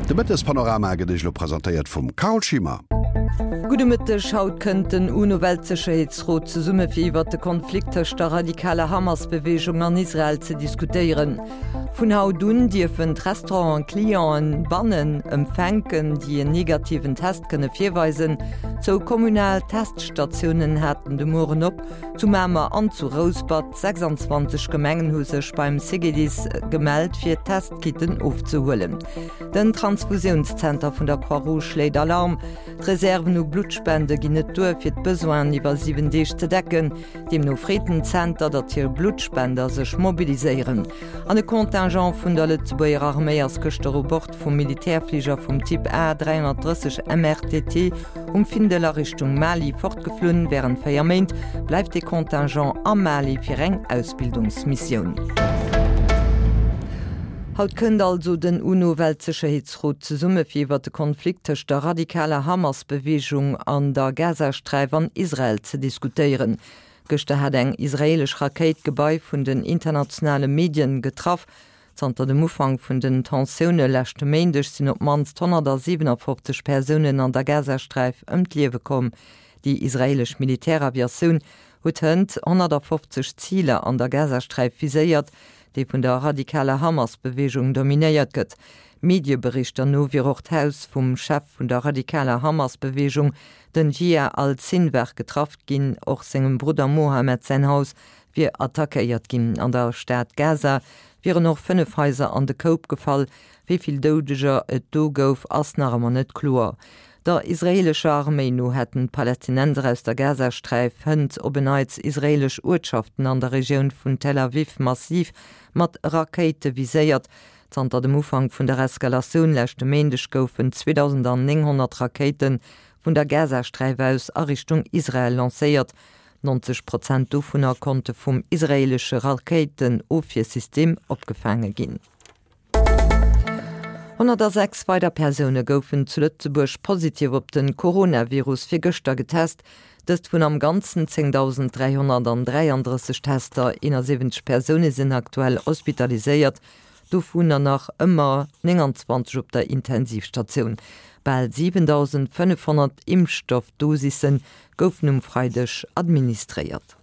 De Mëttespanorama gëtt Iech elo presentéiert vum Carole Schimmer. Gudde Mëtteg, Haut kënnt den UNO-Weltsécherheetsrot zesumme fir iwwert de Konflikt tëscht der radikaler Hamas-Beweegung an Israel ze diskutéieren. Vun haut un dierfen d'Restauranten Clienten bannen empfänken, déi en negativen Test kënne virweisen. Zwou kommunal Teststatiounen haten de Mueren op, zu Mamer an zu Rouspert. 26 Gemengen hu sech beim CGDIS gemellt, fir Testkitten ofzehuelen. Den Transfusiounszenter vun der Croix-Rouge schléit Alarm. D'Reserven u Bluttspende ginn net duer, fir d'Besoinen iwwer 7 Deeg ze decken. Deemno freet den Zenter, datt hir Bluttspender sech mobiliséieren. An e Contingent vun der Lëtzebuerger Arméi ass gëschter u Bord vum Militärfliger vum Typ A 330 MRTT um Findel a Richtung Mali fortgeflunn. Wärend 4 Méint bleift dee Contingent am Mali fir eng Ausbildungsmissioun. Haut kënnt also den UNO-Weltsécherheetsrot zesumme fir iwwer de Konflikt tëscht der radikaler Hamas-Beweegung an der Gazasträif an Israel ze diskutéieren. Gëschter hat eng israeelesch Rakéit d'Gebai vun den internationale Medien getraff. Zanter dem Ufank vun den Tensioune leschte Méindeg sinn op d'mannst 157 Persounen an der Gazasträif ëm d'Liewe komm. Déi israeelesch Militäraviatioun huet hënt 150 Ziler an der Gazasträif viséiert, déi vun der radikaler Hamas-Beweegung dominéiert gëtt. Medieberichter no wier och d'Haus vum Chef vun der radikaler Hamas-Beweegung, den Jihya al-Sinwar, getraff ginn. Och sengem Brudder Mohammed säin Haus wier attackéiert ginn. An der Stad Gaza wieren och 5 Haiser an de Koup gefall. Wéi vill Doudeger et do gouf, ass nach ëmmer net kloer. Der israeelescher Arméi no hätten d'Palästinenser aus der Gazasträif hënt op en Neits israeelesch Uertschaften an der Regioun vun Tel Aviv massiv mat Rakéite viséiert. Zanter dem Ufank vun der Eskalatioun leschte Méindeg goufen 2.900 Rakéite vun der Gazasträif aus a Richtung Israel lancéiert. 90 Prozent dovunner konnte vum israeelesche Rakéitenofwiersystem opgefaange ginn. 106 weider Persoune goufen zu Lëtzebuerg positiv op de Coronavirus virgëschter getest. Dëst vun am Ganzen 10.333 Tester. 71 Persoune sinn aktuell hospitaliséiert, dovunner nach ëmmer 29 op der Intensivstatioun. Bal 7.500 Impfstoffdosisse goufen um Freideg administréiert.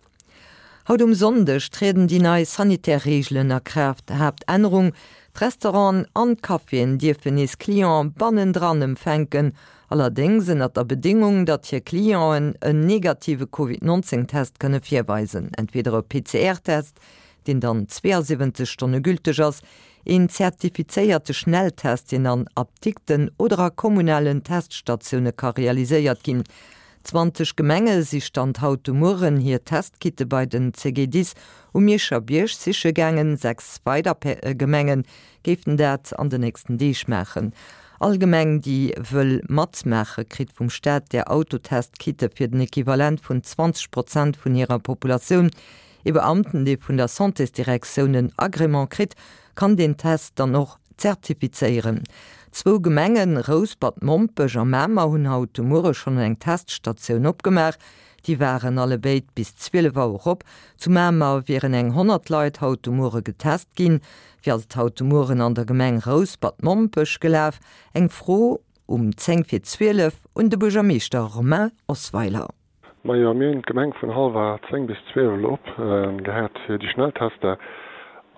Haut um Sonndeg trieden déi nei sanitär Reegelen a Kraaft. Haaptännerung, D'Restauranten an d'Caféen dierfen nees Clienten bannendran empfänken, allerdéngs ënnert der Bedéngung, datt hir Clienten en negative Covid 19 Test kënne virweisen, entweder e PCR-Test, deen dann 72 Stonne gülteg ass, een zertifizéierte Schnelltest, deen an Apdikten oder a kommunalen Teststatioune ka realiséiert ginn. 20 Gemenge si Stand haut de Mueren hir Testkitte bei den CGDIS um Mierscher Bierg siche gaangen. 6 weider Gemenge géifen dat an den nächsten Deeg maachen. All Gemeng, déi wëll matmaache kritt vum Staat där Autotestkitte fir den Equivalent vun 20 Prozent vun hirer Populatioun. Ee Beamten, dee vun der Santésdirektioun en Agrément kritt, kann deen Test dann och zertifizéieren. Zwou Gemengen, Rouspert-Mompech a Mamer, hunn haut de Muere schonn eng Teststatioun opgemaach. Déi waren allebéid bis 12 Auer op. Zu Mamer wieren eng 100 Leit haut de Muere getest ginn. Wéi ass et haut de Mueren an der Gemeng Rouspert-Mompech gelaf? Eng Fro um 10 vir 12 un de Buergermeeschter Romain Osweiler. Majo, mir hunn d'Gemeng vun hallwer 10 bis 12 op gehat fir déi Schnelltester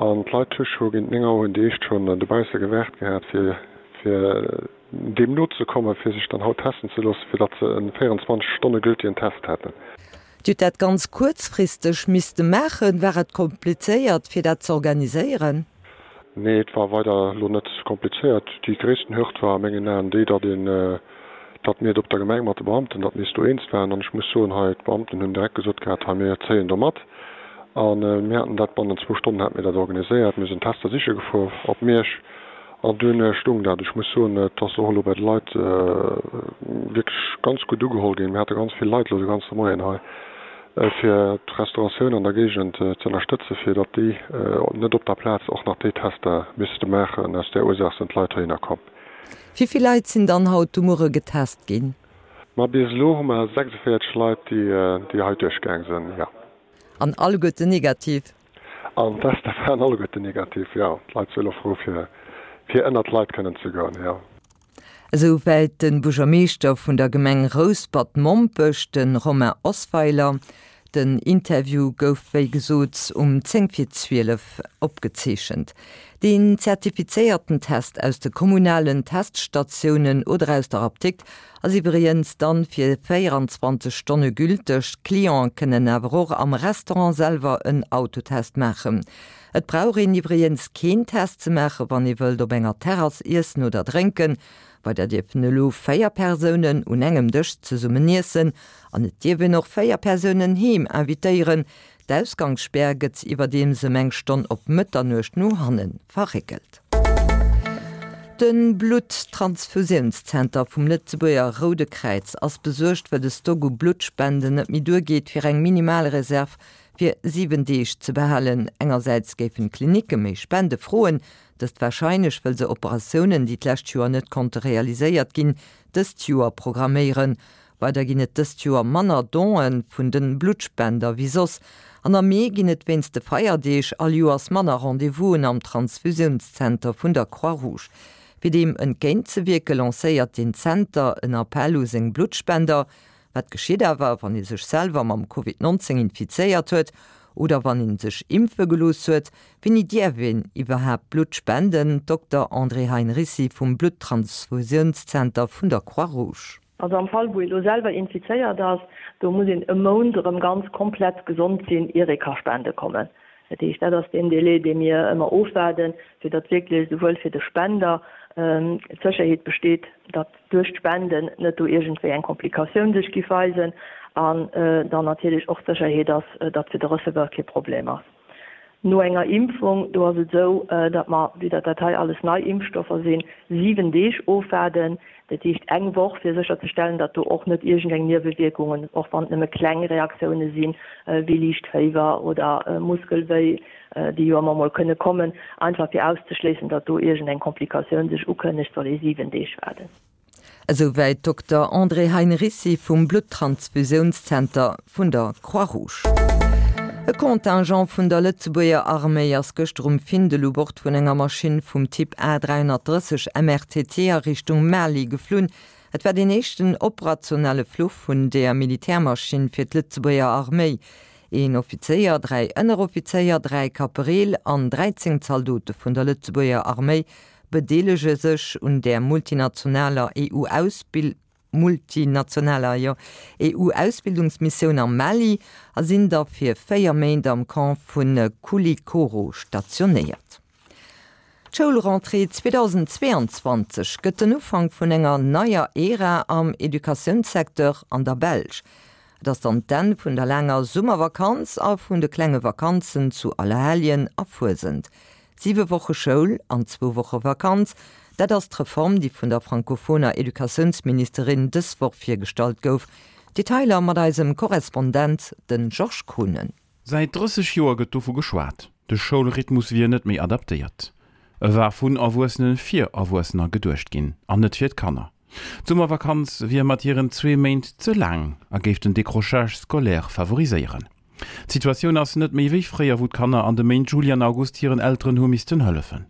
an d'Leit hu scho géint 9 Auer hunn déi éischt schonn dobausse gewaart gehat fir fir deem nozekommen, fir sech dann haut testen ze loossen, fir datt se e 24 Stonne gültigen Test hätten. Dir hutt dat ganz kuerzfristeg misste maachen. War et komplizéiert fir dat ze organiséieren? Nee, et war weider elo net komplizéiert. Déi gréissten Hürd war a mengen Aen déi, datt een, datt mir et op der Gemeng mat de Beamten, datt mir eis do eens waren. An ech muss soen, hei d'Beamten hunn direkt gesot gehat, hei mir zéien do mat. A mir haten dat bannent zwou Stonnen hate mir dat organiséiert. Mir sinn Tester siche gefuer op Miersch an dunn stoung dat. Ech muss soen, et ass och elo bei de Leit wierklech ganz gutt ugeholl ginn. Mir hate ganz vill Leit elo de ganze Moien hei. fir d'Restauratioun an der Géigend ze ënnerstëtzen, fir datt déi net op der Plaz och nach déi Tester misste maachen. Aus där Ursaach sinn d'Leit heihinner komm. Wéi vill Leit sinn dann haut de Muere getest ginn? Ma bis elo hu mer 46 Leit, déi hei duerchgaang sinn, jo. An alleguerten negativ? An d'Tester waren alleguerten negativ, jo. D'Leit si elo frou, fir ënnert d'Leit kënnen ze goen, jo. Esou wäit de Buergermeeschter vun der Gemeng Rouspert-Mompech, de Romain Osweiler. Den Interview gouf wéi gesot um 10 vir 12 opgezeechent. Deen zertifizéierten Test aus de kommunalen Teststatiounen oder aus der Apdikt ass iwwregens dann fir 24 Stonne gülteg. D'Clienten kënnen awer och am Restaurant selwer en Autotest maachen. Et brauch een iwwregens keen Test ze maachen, wann ee wëllt op enger Terrass iessen oder drénken. Weider dierfen elo 4 Persounen un engem Dësch zesummen iessen an et dierf een och 4 Persounen heem invitéieren. D'Ausgangsspär gëtt iwwerdeems ëm eng Stonn op Mëtternuecht no hanne verréckelt. De Blutt-Transfusiounszenter vum Lëtzebuerger Roude Kräiz ass besuergt, well de Stock u Bluttspenden net méi duergeet, fir eng minimal Reserv fir 7 Deeg ze behalen. Engersäits géifen d'Klinicke méi Spende froen, dëst warscheinlech wëll se Operatiounen, déi d'lescht Joer net konnte realiséiert ginn, dëst Joer programméieren. Weider ginn et dëst Joer manner Donë vun de Bluttspender wéi soss. An am Mee ginn et wéinst de Feierdeeg all Joers manner Rendez-vousen am Transfusiounszenter vun der Croix-Rouge. Fir deem entgéint ze wierke lancéiert den Zenter en Appell u seng Bluttspender, Wat geschitt awer, wann ee sech selwer mam Covid 19 infizéiert huet oder wann ee sech impfe gelooss huet? Wéini dierf een iwwerhaapt Blutt spenden? Dokter André Heinricy vum Bluttransfusiounszenter vun der Croix-Rouge. Also am Fall wou ee lo selwer infizéiert ass, do muss een e Mount erëm ganz komplett gesond sinn, ier ee ka spende kommen. Dat heescht, dat ass deen Délai, dee mir ëmmer ofwaarden, fir datt wierklech esouwuel fir de Spender d'Sécherheet besteet, datt duerch d'Spenden net do iergendwéi eng Komplikatioun sech giff weisen an dann natierlech och d'Sécherheet ass, datt fir de Receveur kee Problem ass. No enger Impfung, do ass et esou, datt mer, vue datt dat hei alles nei Impfstoffer sinn, 7 Deeg ofwaarden, dat heescht eng Woch, fir sécherzestellen, datt do och net iergendeng Niewewierkungen, och wann et nëmme kleng Reaktioune sinn, wéi liicht Féiwer oder Muskelwéi, déi jo ëmmer mol kënne kommen, einfach fir auszeschléissen, datt do iergendeng Komplikatioun sech ukënnegt, soll ee 7 Deeg waarden. Esouwäit Dokter André Heinricy vum Bluttransfusiounszenter vun der Croix-Rouge. E Contingent vun der Lëtzebuerger Arméi ass gëschter um Findel u Bord vun enger Maschinn vum Typ A 330 MRTT a Richtung Mali geflunn. Et war deen éischten operationelle Fluch vun deeër Militärmaschinn fir d'Lëtzebuerger Arméi. Een Offizéier, 3 Ënneroffizéier, 3 Kapereel an 13 Zaldote vun der Lëtzebuerger Arméi bedeelege sech un där multinationaler EU-Ausbil multinationaler, jo, EU-Ausbildungsmissioun am Mali a sinn da fir 4 Méint am Camp vu Koulikoro stationéiert. D'Schoulrentrée 2022 gëtt den Ufank vun enger neier Ära am Educatiounssecteur an der Belsch. Et ass dann d'Enn vun der laanger Summervakanz a vun de klenge Vakanzen zu Allerhelljen a Fuesent. Siwe Woche Schoul an zwou Woche Vakanz, dat ass d'Reform, déi vun der frankophoner Educatiounsministerin dës Woch virgestallt gouf. Detailer mat eisem Korrespondent, de Georges Kohnen. Säit 30 Joer gëtt dovu geschwat, de Schoulrhythmus wier net méi adaptéiert. E war vun Erwuessene fir Erwuessener geduecht ginn an net fir d'Kanner. D'Summervakanz wier mat hiren zwee Méint ze laang a géif den Décrochage scolaire favoriséieren. D'Situatioun ass net méi wéi fréier, wou d'Kanner an de Méint Juli an August hiren Elteren hu missten hëllefen.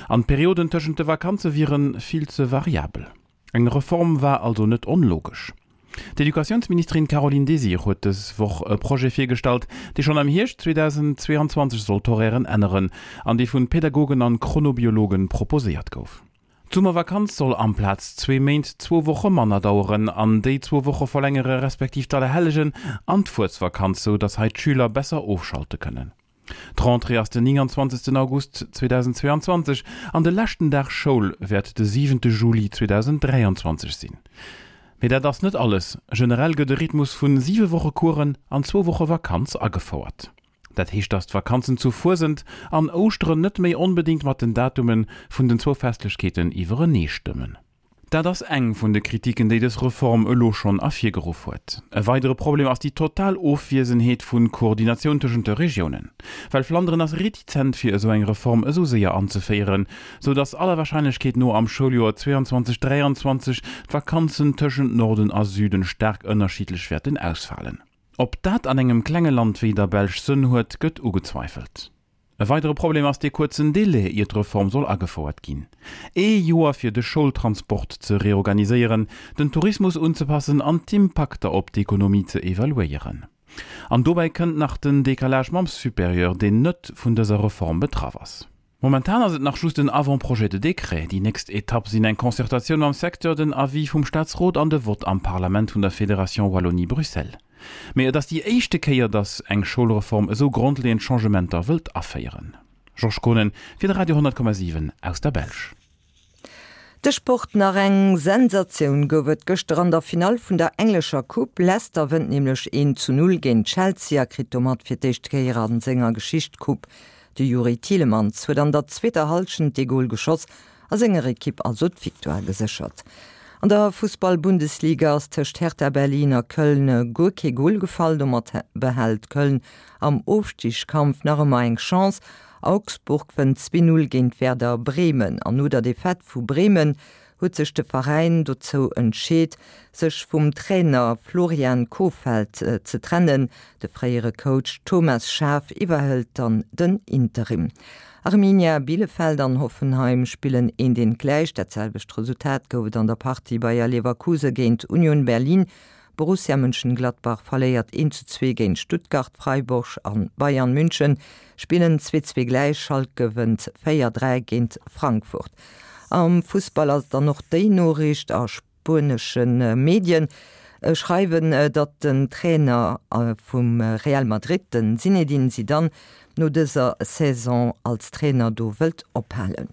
An d'Perioden tëschent de Vakanze wiere vill ze variabel. Eng Reform war also net onlogesch. D'Educatiounsministerin Caroline Désir huet dës Woch e Projet virgestallt, dee schonn am Hierscht 2022 soll d'Horairen änneren an dee vun Pädagogen an Chronobiologen proposéiert gouf. D'Summervakanz soll amplaz zwee Méint zwou Woche manner daueren an déi zwou Woche verlängere respektiv d'Allerhellegen an d'Fuesvakanz, sou datt hei d'Schüler besser ofschalte kënnen. D'Rentrée ass den 29 August 2022 an de leschten Dag Schoul wäert de 7 Juli 2023 sinn. Mee dat ass net alles, Generell gëtt e Rhythmus vun 7 Woche Coursen an zwou Woche Vakanz agefouert. Dat heescht, dass d'Vakanzen zu Fuesent an Ouschteren net méi onbedéngt mat den Datume vun den zwou Festlechkeeten iwwerenee stëmmen. Dat ass eng vun de Kritiken, déi dës Reform elo schonn ervirgeruff huet. E weidere Problem ass déi total Ofwiesenheet vu Koordinatioun tëschent de Regiounen. Well Flanderen ass retizent fir esou eng Reform esou séier anzeféieren, sou dass aller Warscheinlechkeet no am Schouljoer 22, 23 d'Vakanzen tëschent Norden a Süden staark ënnerschiddlech wäerten ausfalen. Ob dat an engem klenge Land wéi der Belsch Sënn huet, gëtt ugezweifelt. E weidere Problem ass dee kuerzen Delai, ier d'Reform soll agefouert ginn. Ee Joer fir de Schoultransport ze reorganiséieren, den Tourismus unzepassen an d'Impakter op d'Ekonomie ze evaluéieren. An dobäi kënnt nach den Decalage mam Supérieur, deen net vun dëser Reform betraff ass. Momentan ass et nach just en Avant-projet de décret. Déi nächst Etapp sinn eng Concertatioun mam Secteur, den Avis vum Staatsrot an de Vott am Parlament vun der Fédération Wallonie-Bruxelles. Mee et ass déi éischte Kéier, datt eng Schoulreform esou grondleeënd Changementer wëllt aféieren. Georges Kohnen fir de Radio 10,7 aus der Belsch. De Sport Nach eng Sensatioun gouf et gëschter an der Finall vun der englescher Coupe. Leicester wënnt nämlech 1 zu 0 géint Chelsea a kritt domat fir d'éischt Kéier a senger Geschicht d'Coupe. De Youri Tielemans huet an der zweeter Hallschent dee Gol geschoss a senger Ekipp also d'Victoire geséchert. An der Fussball-Bundesliga ass tëscht Hertha Berlin a Köln guer kee Gol gefall. Domat behält Köln am Ofstigskampf nach ëmmer eng Chance. Augsburg wënnt 2, 0 géint Werder Bremen an no der Defaite vu Bremen huet sech de Veräin dozou entscheet, sech vum Trainer Florian Kohfeldt ze trennen. De fréiere Coach Thomas Schaaf iwwerhëlt dann den Interim. Arminia Bielefeld an Hoffenheim spillen eent eent gläich. Dat selwecht Resultat gouf et an der Partie Bayer Leverkuse géint Union Berlin. Borussia Mönchengladbach verléiert 1 zu 2 géint Stuttgart, Freiburg an Bayern München spillen 2, 2 gläich, Schalke wënnt 4, 3 géint Frankfurt. Am Fussball ass et dann och déi Noriicht, a spuenesche Medien schreiwen, datt den Trainer vum Real Madrid, den Zinedine Zidane, no dëser Saison als Trainer do wëllt ophalen.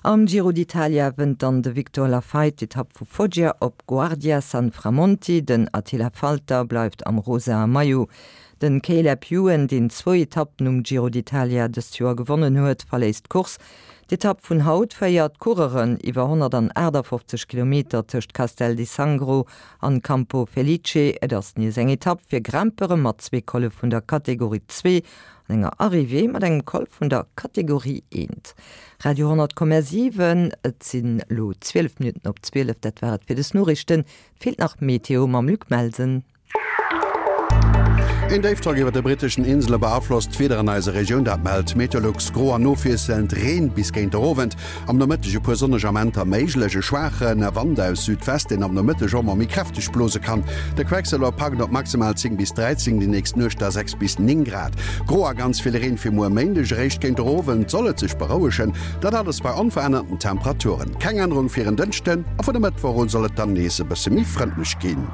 Am Giro d'Italia wënnt dann de Victor Lafay d'Etapp vu Foggia op Guardia Sanframonti. Den Attila Valter bleift am rosae Maillot. Den Caleb Ewan, deen zwou Etappen um Giro d'Italia dëst Joer gewonnen huet, verléisst d'Course. D'Etapp vun haut féiert d'Coureuren iwwer 158 Kilometer tëscht Castel di Sangro an Campo Felice. Et ass nees eng Etapp fir Grimpere mat zwee Colle vun der Kategorie 2 An enger Arrivée mat engem Col vun der Kategorie 1. Radio 10,7, Et sinn elo 12 Minutten op 12. Dat war et fir des Noriichten. Et feelt nach d'Meteo mam Luc Melsen. Een Déifdrock iwwer de britteschen Insele beaflosst d'Wieder an eiser Regioun, dat mellt Meteolux. Gro an ofwiesselnd Reen bis géint der Owend. Am Nomëtteg e puer sonneg Amenter méiglech. E schwaache Wand aus Südwest, deen am Nomëtteg och mol méi kräfteg blose kann. De Quecksëlwer packt op maximal 10 bis 13, déi nächst Nuecht da 6 bis 9 Grad. Gro a ganz vill Reen fir muer Méindeg, eréischt géint der Owend soll et sech berouegen. Dat alles bei onverännerten Temperaturen. Keng Ännerung fir en Dënschden a vun e Mëttwoch un soll et dann nees e bësse méi frëndlech ginn.